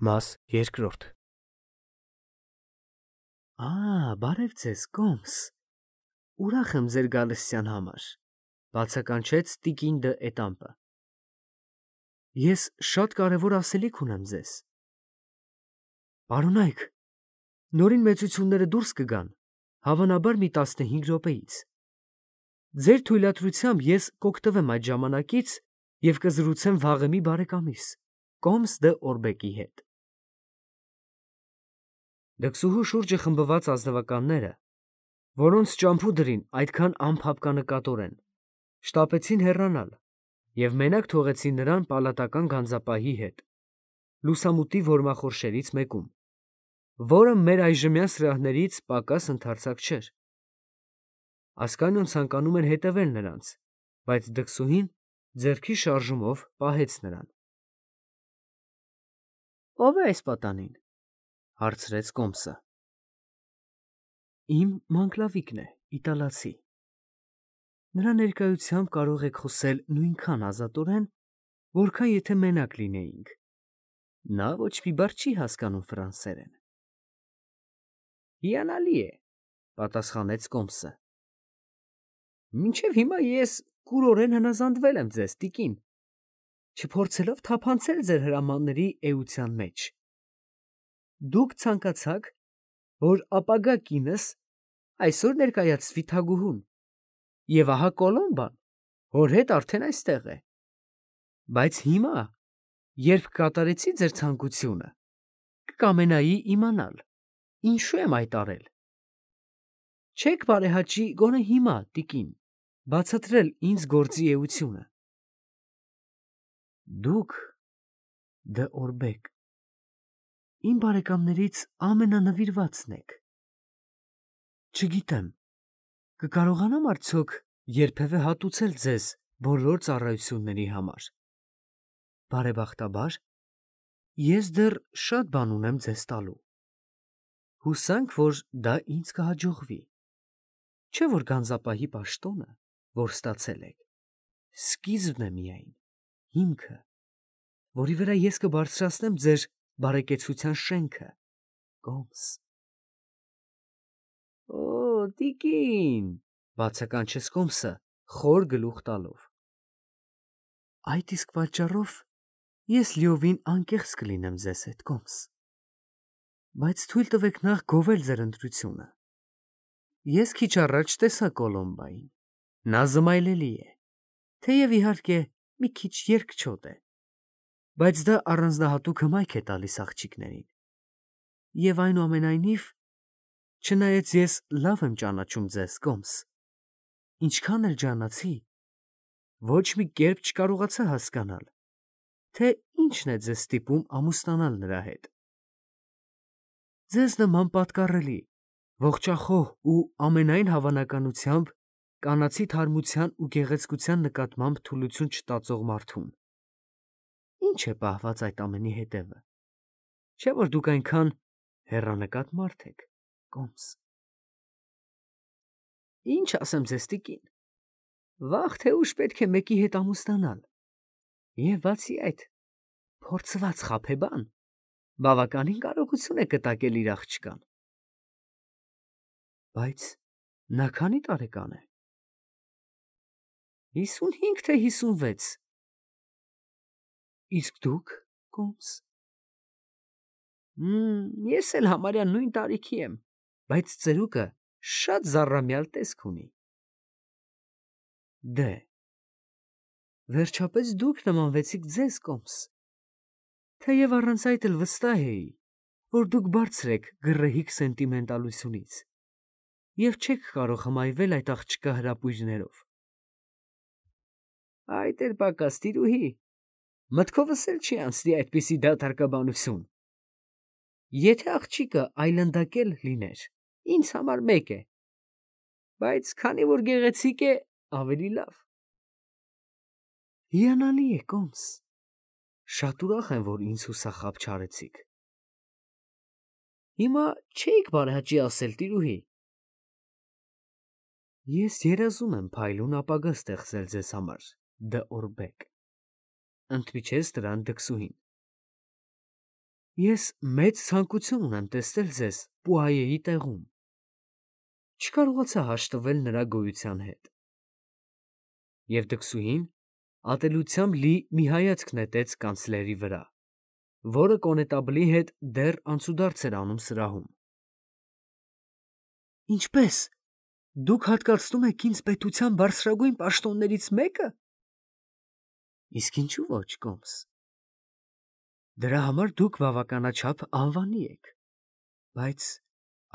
Մաս երկրորդ։ Բարև ձեզ, Կոմս։ Ուրախ եմ ձեր գալստյան համար, բացականչեց տիկին դը Էտամպը։ Ես շատ կարևոր ասելիք ունեմ ձեզ։ Պարոնայք, նորին մեծությունները դուրս կգան, հավանաբար մի 15 րոպեից։ Ձեր թույլատրությամբ ես կօգտվեմ այդ ժամանակից և կզրուցեմ վաղեմի բարեկամիս, Կոմս դը Օրբեկի հետ։ Դքսուհու շուրջը խմբված ազնվականները, որոնց ճամփուդրին այդքան անփափկանկատորեն, շտապեցին հեռանալ և մենակ թողեցին նրան պալատական գանձապահի հետ, լուսամուտի որմախորշերից մեկում, որը մեր այժմյան սրահներից պակաս ընդարձակ չէր։ Ասկանիոն ցանկանում էր հետևել նրանց, բայց դքսուհին ձեռքի շարժումով պահեց նրան։ Ո՞վ է այս պատանին, հարցրեց Կոմսը։ Իմ մանկլավիկն է, իտալացի։ Նրա ներկայությամբ կարող եք խոսել նույնքան ազատորեն, որքան եթե մենակ լինեինք։ Նա ոչ մի բառ չի հասկանում ֆրանսերեն։ Հիանալի է, պատասխանեց Կոմսը։ Մինչև հիմա ես կուրորեն հնազանդվել եմ ձեզ, տիկին, չփորձելով թափանցել ձեր հրամանների էության մեջ։ Դուք ցանկացաք, որ ապագա կինս այսօր ներկայացվի թագուհուն, և ահա Կոլոմբան հոր հետ արդեն այստեղ է։ Բայց հիմա, երբ կատարեցի ձեր ցանկությունը, կկամենայի իմանալ, ինչու եմ այդ արել։ Չեք բարեհաճի գոնե հիմա, տիկին, բացատրել ինձ գործի էությունը։ Դուք, դը Օրբեկ, իմ բարեկամներից ամենանվիրվածն եք։ Չգիտեմ, կկարողանամ արդյոք երբևէ հատուցել ձեզ բոլոր ծառայությունների համար։ Բարեբախտաբար, ես դեռ շատ բան ունեմ ձեզ տալու։ Հուսանք, որ դա ինձ կհաջողվի։ Չէ՞ որ գանձապահի պաշտոնը, որ ստացել եք, սկիզբն է միայն, հիմքը, որի վրա ես կբարձրացնեմ ձեր բարեկեցության շենքը, Կոմս։ Օ, տիկին, բացականչեց Կոմսը, խոր գլուխ տալով։ Այդ իսկ պատճառով ես լիովին անկեղծ կլինեմ ձեզ հետ, Կոմս։ Բայց թույլ տվեք նախ գովել ձեր ընտրությունը։ Ես քիչ առաջ տեսա Կոլոմբային։ Նա զմայլելի է, թեև իհարկե մի քիչ երկչոտ է, բայց դա առանձնահատուկ հմայք է տալիս աղջիկներին։ Եվ այնուամենայնիվ, չնայած ես լավ եմ ճանաչում ձեզ, Կոմս, ինչքան էլ ջանացի, ոչ մի կերպ չկարողացա հասկանալ, թե ինչն է ձեզ ստիպում ամուսնանալ նրա հետ։ Ձեզ նման պատկառելի, ողջախոհ ու ամենայն հավանականությամբ կանացի թարմության ու գեղեցկության նկատմամբ թուլություն չտածող մարդուն։ Ինչ է պահված այդ ամենի հետևը։ Չէ՞ որ դուք այնքան հեռանկատ մարդ եք, Կոմս։ Ինչ ասեմ ձեզ, տիկին, վաղ թե ուշ պետք է մեկի հետ ամուսնանալ։ Եվ բացի այդ, փորձված խաբեբան բավականին կարողություն է կտակել իր աղջկան։ Բայց նա քանի տարեկան է։ 55 թե 56։ Իսկ դուք, Կոմս։ Ես էլ համարյա նույն տարիքի եմ, բայց ծերուկը շատ զառամյալ տեսք ունի։ Դե, վերջապես դուք նմանվեցիք ձեզ, Կոմս, թեև առանց այդ էլ վստահ էի, որ դուք բարձր եք գռեհիկ սենտիմենտալությունից և չեք կարող հմայվել այդ աղջկա հրապույրներով։ Այդ էլ պակաս, տիրուհի, մտքովս էլ չի անցնի այդպիսի դատարկաբանություն։ Եթե աղջիկը այլանդակել լիներ, ինձ համար մեկ է, բայց քանի որ գեղեցիկ է, ավելի լավ։ Հիանալի է, Կոմս, շատ ուրախ եմ, որ ինձ հուսախաբ չարեցիք։ Հիմա չէիք բարեհաճի ասել, տիրուհի։ Ես երազում եմ փայլուն ապագա ստեղծել ձեզ համար, դը Օրբեկ, ընդմիջեց նրան դքսուհին։ Ես մեծ ցանկություն ունեմ տեսնել ձեզ Պուայեի տեղում։ Չկարողացա հաշտվել նրա գոյության հետ։ Եվ դքսուհին ատելությամբ լի մի հայացք նետեց կանցլերի վրա, որը կոնետաբլի հետ դեռ անցուդարձ էր անում սրահում։ Ինչպե՞ս։ Դուք հատկացնում եք ինձ պետության բարձրագույն պաշտոններից մեկը։ Իսկ ինչու ոչ, Կոմս։ Դրա համար դուք բավականաչափ անվանի եք, բայց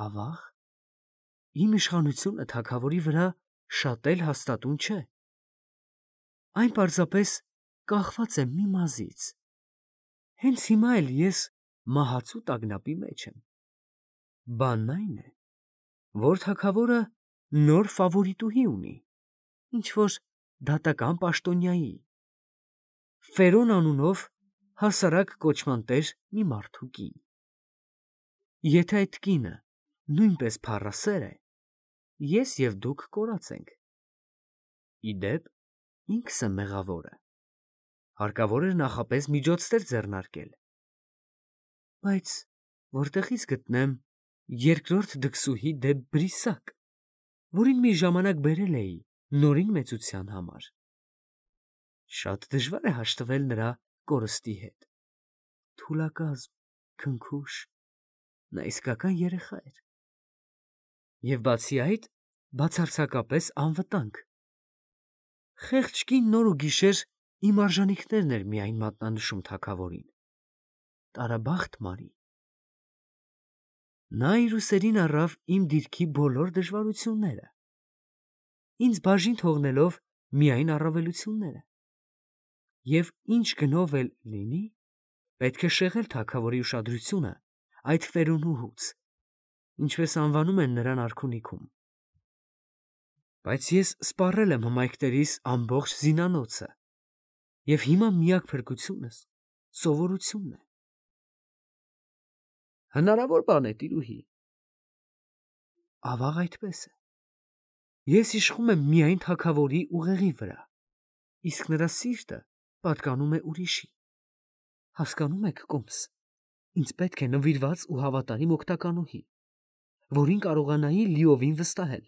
ավաղ, իմ իշխանությունը թագավորի վրա շատ էլ հաստատուն չէ։ Այն պարզապես կախված է մի մազից։ Հենց հիմա էլ ես մահացու տագնապի մեջ եմ։ Բանն այն է, որ թագավորը նոր ֆավորիտուհի ունի, ինչ-որ դատական պաշտոնյայի, Ֆերոն անունով հասարակ կոչման տեր մի մարդու կին։ Եթե այդ կինը նույնպես փառասեր է, ես և դուք կորած ենք։ Իդեպ, ինքս եմ մեղավորը։ Հարկավոր էր նախապես միջոցներ ձեռնարկել։ Բայց որտեղից գտնեմ երկրորդ դքսուհի դե Բրիսակ, որին մի ժամանակ բերել էի նորին մեծության համար։ Շատ դժվար է հաշտվել նրա կորստի հետ։ Թուլակազմ, քնքուշ, նա իսկական երեխա էր։ Եվ բացի այդ, բացարձակապես անվտանգ։ Խեղճ կին նոր ու գիշեր իմ արժանիքներն էր միայն մատնանշում թագավորին։ Տարաբախտ Մարի։ Նա իր ուսերին առավ իմ դիրքի բոլոր դժվարությունները, ինձ բաժին թողնելով միայն առավելությունները։ Եվ ինչ գնով էլ լինի, պետք է շեղել թագավորի ուշադրությունը այդ Ֆերոնուհուց, ինչպես անվանում են նրան արքունիքում։ Բայց ես սպառել եմ հմայքներիս ամբողջ զինանոցը, և հիմա միակ փրկությունս սովորությունն է։ Հնարավոր բան է, տիրուհի։ Ավաղ այդպես է։ Ես իշխում եմ միայն թագավորի ուղեղի վրա, իսկ նրա սիրտը պատկանում է ուրիշի։ Հասկանում եք, Կոմս, ինձ պետք է նվիրված ու հավատարիմ օգնականուհի, որին կարողանայի լիովին վստահել։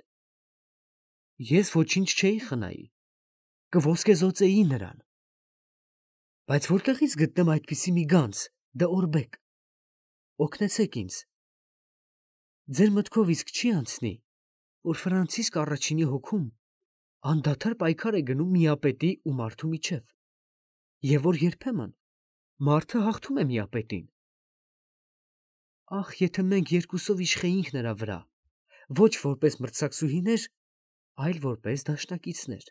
Ես ոչինչ չէի խնայի, կոսկեզօծեի նրան։ Բայց որտեղից գտնեմ այդպիսի մի գանձ, դե Օրբեկ։ Օգնեցեք ինձ։ Ձեր մտքով իսկ չի անցնի, որ Ֆրանցիսկ առաջինի հոգում անդադար պայքար է գնում միապետի ու մարդու միջև, և որ երբեմն մարդը հաղթում է միապետին։ Ախ, եթե մենք երկուսով իշխեինք նրա վրա, ոչ որպես մրցակցուհիներ, այլ որպես դաշնակիցներ։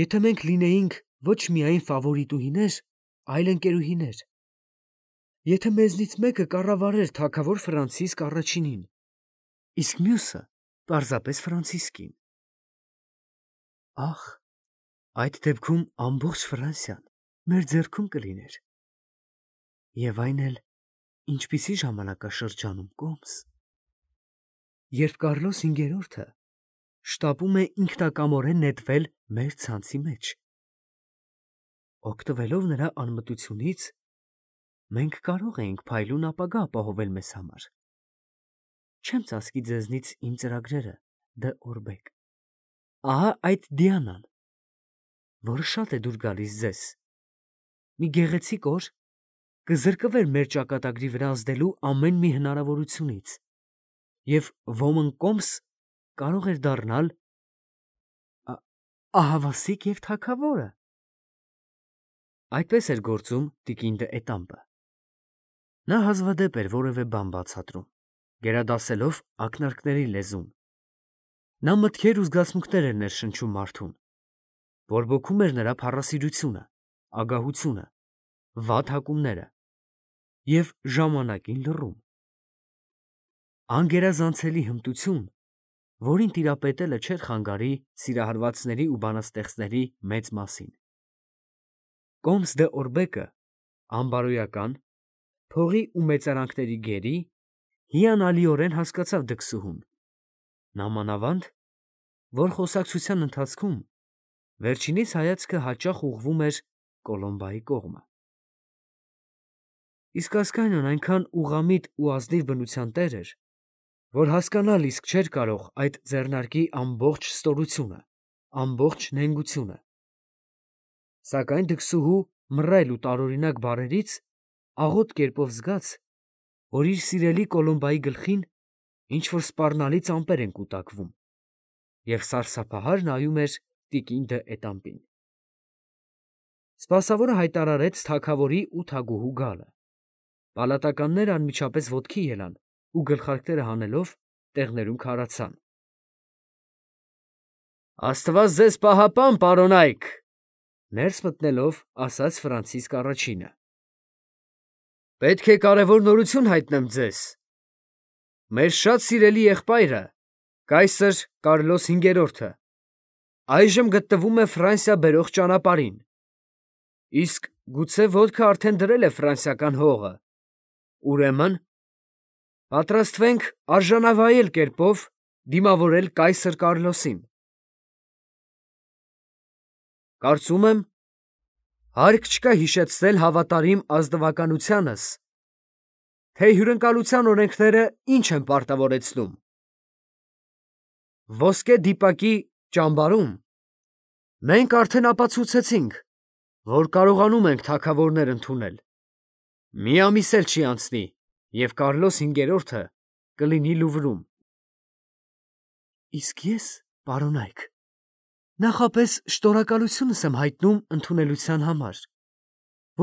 Եթե մենք լինեինք ոչ միայն ֆավորիտուհիներ, այլ ընկերուհիներ։ Եթե մեզնից մեկը կառավարեր թագավոր Ֆրանցիսկ առաջինին, իսկ մյուսը պարզապես Ֆրանցիսկին։ Ախ, այդ դեպքում ամբողջ Ֆրանսիան մեր ձեռքում կլիներ։ Եվ այն էլ ինչպիսի ժամանակաշրջանում, Կոմս, երբ Կարլոս հինգերորդը շտապում է ինքնակամորեն նետվել մեր ցանցի մեջ։ Օգտվելով նրա անմտությունից, մենք կարող էինք փայլուն ապագա ապահովել մեզ համար։ Չեմ ծածկի ձեզնից իմ ծրագրերը, դե Օրբեկ։ Ահա այդ Դիանան, որը շատ է դուր գալիս ձեզ, մի գեղեցիկ օր կզրկվեր մեր ճակատագրի վրա ազդելու ամեն մի հնարավորությունից, և ոմն Կոմս կարող էր դառնալ ահավասիկ և թագավորը։ Այդպես էր գործում տիկին դը Էտամպը։ Նա հազվադեպ էր որևէ բան բացատրում, գերադասելով ակնարկների լեզուն։ Նա մտքեր ու զգացմունքներ էր ներշնչում մարդուն, բորբոքում էր նրա փառասիրությունը, ագահությունը, վատ հակումները և ժամանակին լռում։ Անգերազանցելի հմտություն, որին տիրապետելը չէր խանգարի սիրահարվածների ու բանաստեղծների մեծ մասին։ Կոմս դե Օրբեկը անբարոյական, փողի ու մեծարանքների գերի, հիանալիորեն հասկացավ դքսուհուն, նամանավանդ, որ խոսակցության ընթացքում վերջինիս հայացքը հաճախ ուղղվում էր Կոլոմբայի կողմը։ Իսկ Ասկանիոն այնքան ուղղամիտ ու ազնիվ բնության տեր էր, որ հասկանալ իսկ չէր կարող այդ ձեռնարկի ամբողջ ստորությունը, ամբողջ նենգությունը։ Սակայն դքսուհու մռայլ ու տարօրինակ բառերից աղոտ կերպով զգաց, որ իր սիրելի Կոլոմբայի գլխին ինչ-որ սպառնալից ամպեր են կուտակվում, և սարսափահար նայում էր տիկին դը Էտամպին։ Սպասավորը հայտարարեց թագավորի ու թագուհու գալը։ Պալատականները անմիջապես ոտքի ելան ու գլխարկները հանելով տեղներում քարացան։ «Աստված ձեզ պահապան, պարոնայք», ներս մտնելով ասաց Ֆրանցիսկ առաջինը։ «Պետք է կարևոր նորություն հայտնեմ ձեզ. մեր շատ սիրելի եղբայրը, կայսր Կարլոս V-րդը, այժմ գտնվում է Ֆրանսիա բերող ճանապարհին, իսկ գուցե ոտքը արդեն դրել է ֆրանսիական հողը, ուրեմն պատրաստվենք արժանավայել կերպով դիմավորել կայսր Կարլոսին։ Կարծում եմ, հարկ չկա հիշեցնել հավատարիմ ազնվականությանս, թե հյուրընկալության օրենքները ինչ են պարտավորեցնում։ Ոսկե դիպակի ճամբարում մենք արդեն ապացուցեցինք, որ կարողանում ենք թագավորներ ընդունել։ Մի ամիս էլ չի անցնի, և Կարլոս V-րդը կլինի Լուվրում։ Իսկ ես, պարոնայք, նախապես շնորհակալությունս եմ հայտնում ընդունելության համար,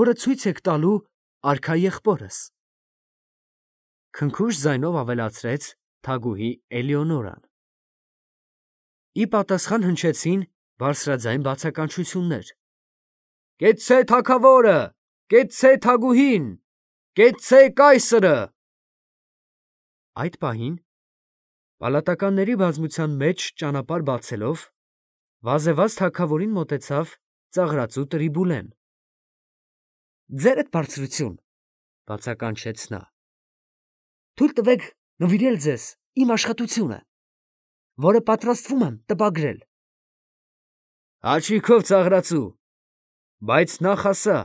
որը ցույց եք տալու արքա եղբորս, քնքուշ ձայնով ավելացրեց թագուհի Էլեոնորան։ Ի պատասխան հնչեցին բարձրաձայն բացականչություններ. «Կեցցե թագավորը, կեցցե թագուհին, կեցցե կայսրը»։ Այդ պահին պալատականների բազմության մեջ ճանապարհ բացելով վազեվազ թագավորին մոտեցավ ծաղրածու Տրիբուլեն։ «Ձերդ բարձրություն», բացականչեց նա, «թույլ տվեք նվիրել ձեզ իմ աշխատությունը, որը պատրաստվում եմ տպագրել»։ «Հաճիքով, ծաղրածու, բայց նախ ասա,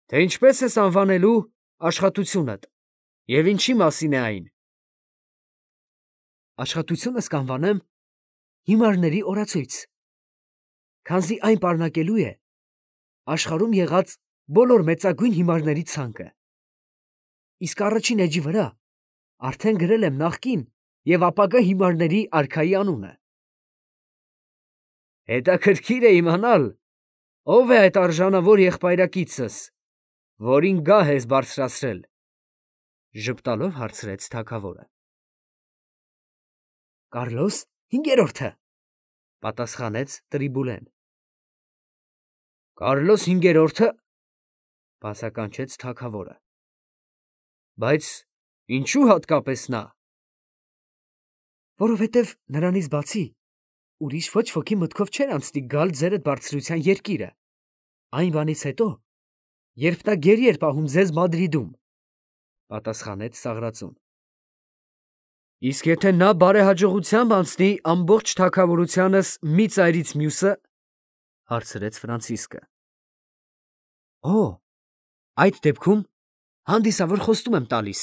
թե ինչպես ես անվանելու աշխատությունդ և ինչի մասին է այն»։ Աշխատությունս կանվանեմ «Հիմարների օրացույց», քանզի այն պարունակելու է աշխարհում եղած բոլոր մեծագույն հիմարների ցանկը։ Իսկ առաջին էջի վրա արդեն գրել եմ նախկին և ապագա հիմարների արքայի անունը։ Հետաքրքիր է իմանալ, ով է այդ արժանավոր եղբայրակիցս, որին գահ ես բարձրացրել, ժպտալով հարցրեց թագավորը։ Կարլոս V-րդը, պատասխանեց Տրիբուլեն։ Կարլոս V-րդը, բացականչեց թագավորը։ Բայց ինչու հատկապես նա։ Որովհետև նրանից բացի ուրիշ ոչ ոքի մտքով չէր անցնի գալ ձերդ բարձրության երկիրը, այն բանից հետո, երբ նա գերի էր պահում ձեզ Մադրիդում, պատասխանեց ծաղրածուն։ Իսկ եթե նա բարեհաջողությամբ անցնի ամբողջ թագավորությանս մի ծայրից մյուսը, հարցրեց Ֆրանցիսկը։ Օ, այդ դեպքում հանդիսավոր խոստում եմ տալիս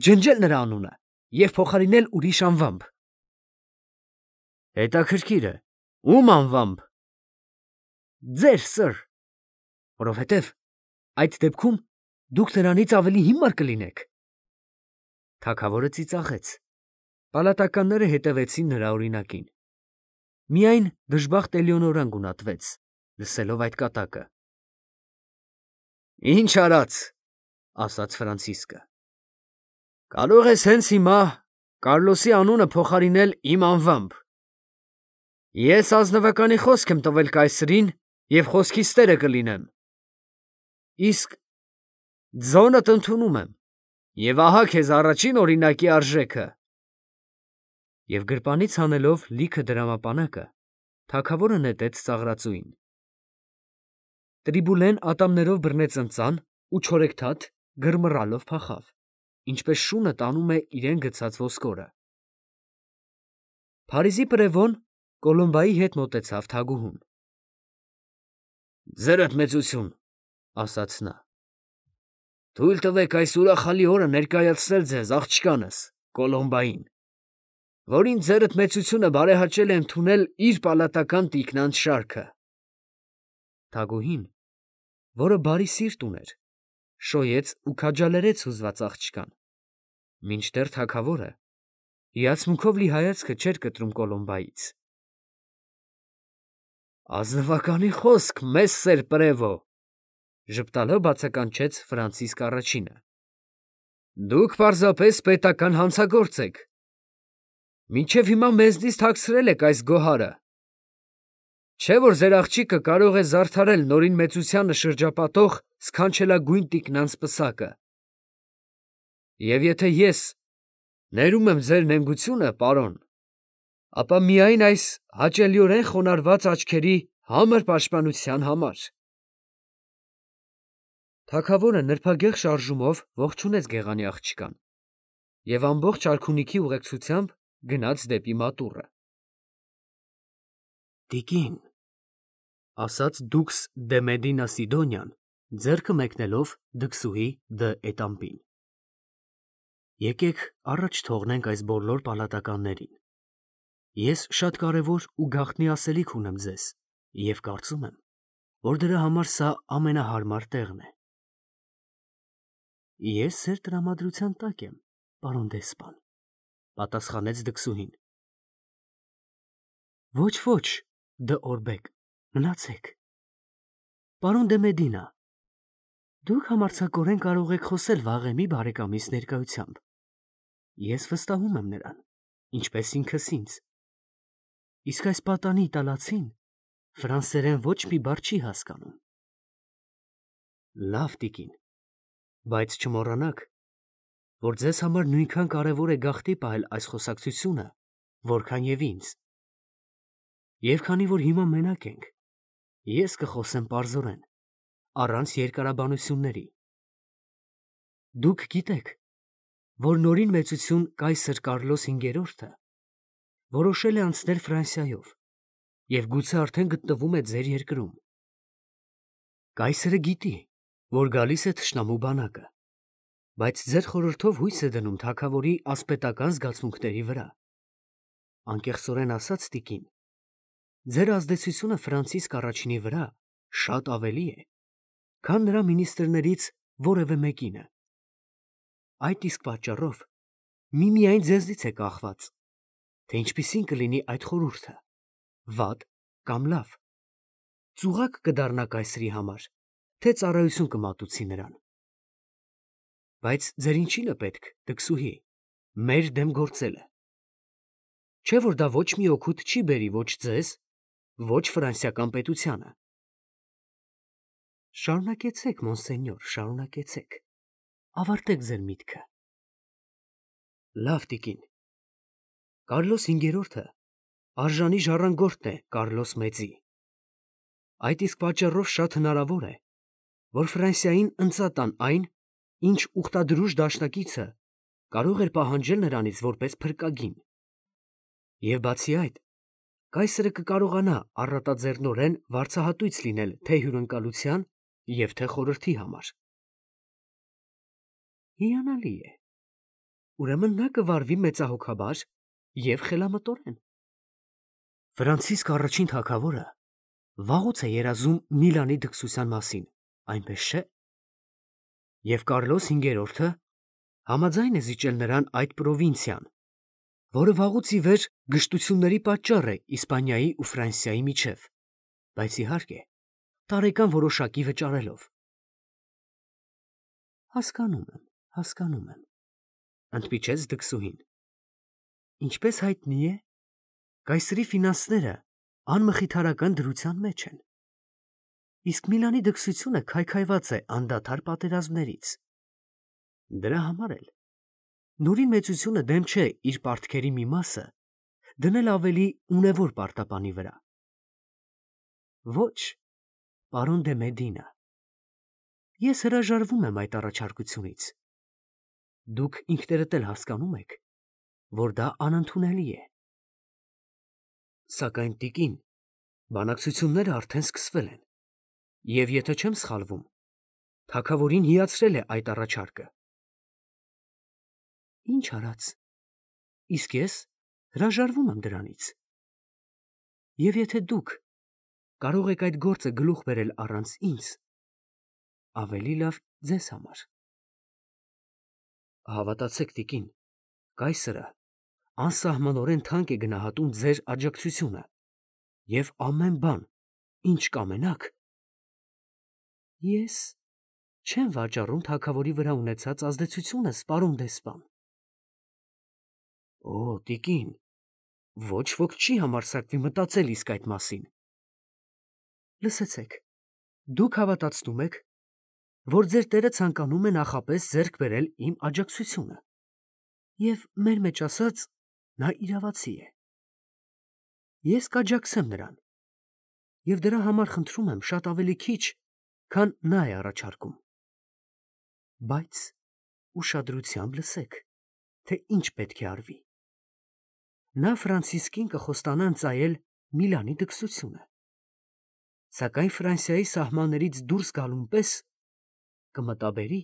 ջնջել նրա անունը և փոխարինել ուրիշ անվամբ։ Հետաքրքիր է, ում անվամբ։ Ձեր, սըր, որովհետև այդ դեպքում դուք նրանից ավելի հիմար կլինեք։ Թագավորը ծիծաղեց։ Պալատականները հետևեցին նրա օրինակին։ Միայն դժբախտ Էլեոնորան գունատվեց, լսելով այդ կատակը։ Ինչ արած, ասաց Ֆրանցիսկը։ Կարող ես հենց հիմա Կարլոսի անունը փոխարինել իմ անվամբ։ Ես ազնվականի խոսք եմ տվել կայսրին և խոսքիս տերը կլինեմ։ Իսկ ձոնդ ընդունում եմ, և ահա քեզ առաջին օրինակի արժեքը։ Եվ գրպանից հանելով լիքը դրամապանակը, թագավորը նետեց ծաղրածուին։ Տրիբուլեն ատամներով բռնեց ընծան ու չորեքթաթ գրմռալով փախավ, ինչպես շունը տանում է իրեն գցած ոսկորը։ Փարիզի պրևոն Կոլոմբայի հետ մոտեցավ թագուհուն։ Ձերդ մեծություն, ասաց նա։ Թույլ տվեք այս ուրախալի օրը ներկայացնել ձեզ աղջկանս Կոլոմբային, որին ձերդ մեծությունը բարեհաճել է ընդունել իր պալատական տիկնանց շարքը։ Թագուհին, որը բարի սիրտ ուներ, շոյեց ու քաջալերեց հուզված աղջկան, մինչդեռ թագավորը հիացմունքով լի հայացքը չէր կտրում Կոլոմբայից։ Ազնվականի խոսք, մեսսեր Պրևո, ժպտալով բացականչեց Ֆրանցիսկ առաջինը։ Դուք պարզապես պետական հանցագործ եք։ Մինչև հիմա մեզնից թաքցրել եք այս գոհարը։ Չէ՞ որ ձեր աղջիկը կարող է զարդարել նորին մեծությանը շրջապատող սքանչելագույն տիկնանց պսակը։ Եվ եթե ես ներում եմ ձեր նենգությունը, պարոն, ապա միայն այս հաճելիորեն խոնարհված աչքերի համր պաշտպանության համար։ Թագավորը նրբագեղ շարժումով ողջունեց գեղանի աղջկան և ամբողջ արքունիքի ուղեկցությամբ գնաց դեպի մատուռը։ Տիկին, ասաց դուքս դե Մեդինա Սիդոնյան, ձեռքը մեկնելով դքսուհի դը Էտամպին։ Եկեք առաջ թողնենք այս բոլոր պալատականներին։ Ես շատ կարևոր ու գաղտնի ասելիք ունեմ ձեզ և կարծում եմ, որ դրա համար սա ամենահարմար տեղն է։ Ես ձեր տրամադրության տակ եմ, պարոն դեսպան, պատասխանեց դքսուհին։ Ոչ, ոչ, դը Օրբեկ, մնացեք։ Պարոն դե Մեդինա, դուք համարձակորեն կարող եք խոսել վաղեմի բարեկամիս ներկայությամբ։ Ես վստահում եմ նրան, ինչպես ինքս ինձ։ Իսկ այս պատանի իտալացին ֆրանսերեն ոչ մի բառ չի հասկանում։ Լավ, տիկին, բայց չմոռանաք, որ ձեզ համար նույնքան կարևոր է գաղտի պահել այս խոսակցությունը, որքան և ինձ։ Եվ քանի որ հիմա մենակ ենք, ես կխոսեմ պարզորեն, առանց երկարաբանությունների։ Դուք գիտեք, որ նորին մեծություն կայսր Կարլոս 5-րդը որոշել է անցնել Ֆրանսիայով և գուցե արդեն գտնվում է ձեր երկրում։ Կայսրը գիտի, որ գալիս է թշնամու բանակը, բայց ձեր խորհրդով հույս է դնում թագավորի ասպետական զգացմունքների վրա։ Անկեղծորեն ասած, տիկին, ձեր ազդեցությունը Ֆրանցիսկ առաջինի վրա շատ ավելի է, քան նրա մինիստրներից որևէ մեկինը։ Այդ իսկ պատճառով միմիայն ձեզնից է կախված, թե ինչպիսին կլինի այդ խորհուրդը, վատ կամ լավ, ծուղակ կդառնա կայսրի համար, թե ծառայություն կմատուցի նրան։ Բայց ձեր ինչին է պետք, դքսուհի, մեր դեմ գործելը։ Չէ՞ որ դա ոչ մի օգուտ չի բերի ոչ ձեզ, ոչ ֆրանսիական պետությանը։ Շարունակեցեք, մոնսենյոր, շարունակեցեք, ավարտեք ձեր միտքը։ Լավ, տիկին, Կարլոս 5-րդը արժանի ժառանգորդն է Կարլոս մեծի։ Այդ իսկ պատճառով շատ հնարավոր է, որ Ֆրանսիային ընծատան այն, ինչ ուխտադրուժ դաշնակիցը կարող էր պահանջել նրանից որպես փրկագին։ Եվ բացի այդ, կայսրը կկարողանա առատաձեռնորեն վարձահատույց լինել թե հյուրընկալության և թե խորհրդի համար։ Հիանալի է։ Ուրեմն նա կվարվի մեծահոգաբար և խելամտորեն։ Ֆրանցիսկ առաջին թագավորը վաղուց է երազում Միլանի դքսության մասին, այնպես չէ՞։ Եվ Կարլոս 5-րդը համաձայն է զիջել նրան այդ պրովինցիան, որը վաղուց ի վեր գժտությունների պատճառ է Իսպանիայի ու Ֆրանսիայի միջև, բայց իհարկե տարեկան որոշակի վճարելով։ Հասկանում եմ, ընդմիջեց դքսուհին։ Ինչպես հայտնի է, կայսրի ֆինանսները անմխիթարական դրության մեջ են։ Իսկ Միլանի դքսությունը քայքայված է անդադար պատերազմներից։ Դրա համար էլ նորին մեծությունը դեմ չէ իր պարտքերի մի մասը դնել ավելի ունևոր պարտապանի վրա։ Ոչ, պարոն դե Մեդինա, ես հրաժարվում եմ այդ առաջարկությունից։ Դուք ինքներդ էլ հասկանում եք, որ դա անընդունելի է։ Սակայն, տիկին, բանակցությունները արդեն սկսվել են, և եթե չեմ սխալվում, Թագավորին հիացրել է այդ առաջարկը։ Ինչ արած, իսկ ես հրաժարվում եմ դրանից։ Եվ եթե դուք կարող եք այդ գործը գլուխ բերել առանց ինձ, ավելի լավ ձեզ համար։ Հավատացեք, տիկին, կայսրը անսահմանորեն թանկ է գնահատում ձեր աջակցությունը և ամեն բան, ինչ կամենաք, ես չեմ վաճառում թագավորի վրա ունեցած ազդեցությունս, պարոն դեսպան։ Օ, տիկին, ոչ ոք չի համարձակվի մտածել իսկ այդ մասին։ Լսեցեք, դուք հավատացնում եք, որ ձեր տերը ցանկանում է նախապես ձեռք բերել իմ աջակցությունը, և մեր մեջ ասած, նա իրավացի է։ Ես կաջակցեմ նրան, և դրա համար խնդրում եմ շատ ավելի քիչ, քան նա է առաջարկում։ Բայց ուշադրությամբ լսեք, թե ինչ պետք է արվի։ Նա Ֆրանցիսկին կխոստանա ընծայել Միլանի դքսությունը, սակայն Ֆրանսիայի սահմաններից դուրս գալուն պես կմտաբերի,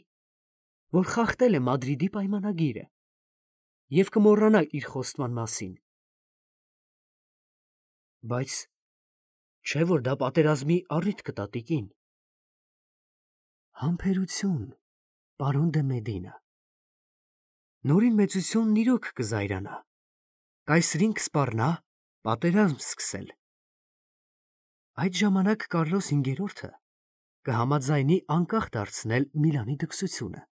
որ խախտել է Մադրիդի պայմանագիրը և կմոռանա իր խոստման մասին։ Բայց չէ՞ որ դա պատերազմի առիթ կտա, տիկին։ Համբերություն, պարոն դե Մեդինա։ Նորին մեծությունն իրոք կզայրանա, կայսրին կսպառնա պատերազմ սկսել։ Այդ ժամանակ Կարլոս հինգերորդը կհամաձայնի անկախ դարձնել Միլանի դքսությունը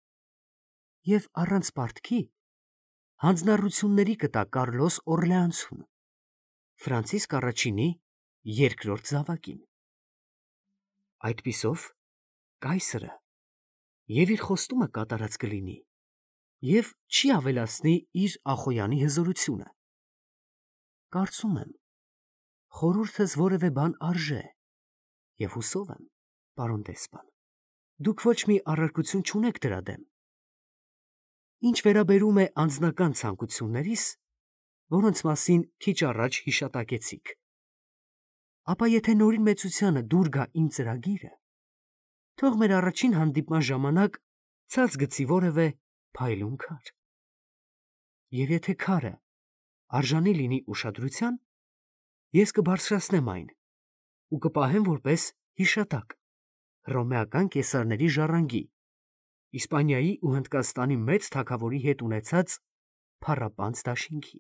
և առանց պարտքի հանձնառությունների կտա Կարլոս Օրլեանցուն, Ֆրանցիսկ առաջինի երկրորդ զավակին։ Այդպիսով կայսրը և իր խոստումը կատարած կլինի և չի ավելացնի իր Ախոյանի հզորությունը։ Կարծում եմ, խորհուրդս որևէ բան արժե, և հուսով եմ, պարոն դեսպան, դուք ոչ մի առարկություն չունեք դրա դեմ։ Ինչ վերաբերում է անձնական ցանկություններիս, որոնց մասին քիչ առաջ հիշատակեցիք, ապա եթե Նորին մեծությանը դուր գա իմ ծրագիրը, թող մեր առաջին հանդիպման ժամանակ ցած գցի որևէ փայլուն քար։ Եվ եթե քարը արժանի լինի ուշադրության, ես կբարձրացնեմ այն ու կպահեմ որպես հիշատակ հռոմեական կեսարների ժառանգի, Իսպանիայի ու Հնդկաստանի մեծ թագավորի հետ ունեցած փառապանծ դաշինքի։